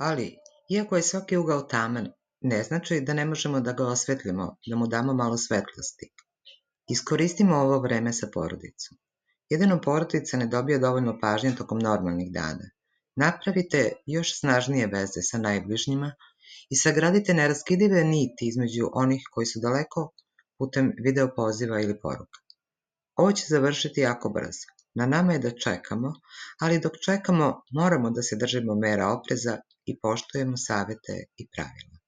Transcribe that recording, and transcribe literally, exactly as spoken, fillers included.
Ali, iako je svaki ugao taman, ne znači da ne možemo da ga osvetlimo, da mu damo malo svetlosti. Iskoristimo ovo vreme sa porodicom. Jedino porodica ne dobija dovoljno pažnje tokom normalnih dana. Napravite još snažnije veze sa najbližnjima i sagradite neraskidive niti između onih koji su daleko putem video poziva ili poruka. Ovo će završiti jako brzo. Na nama je da čekamo, ali dok čekamo moramo da se držimo mera opreza i poštujemo savete i pravila.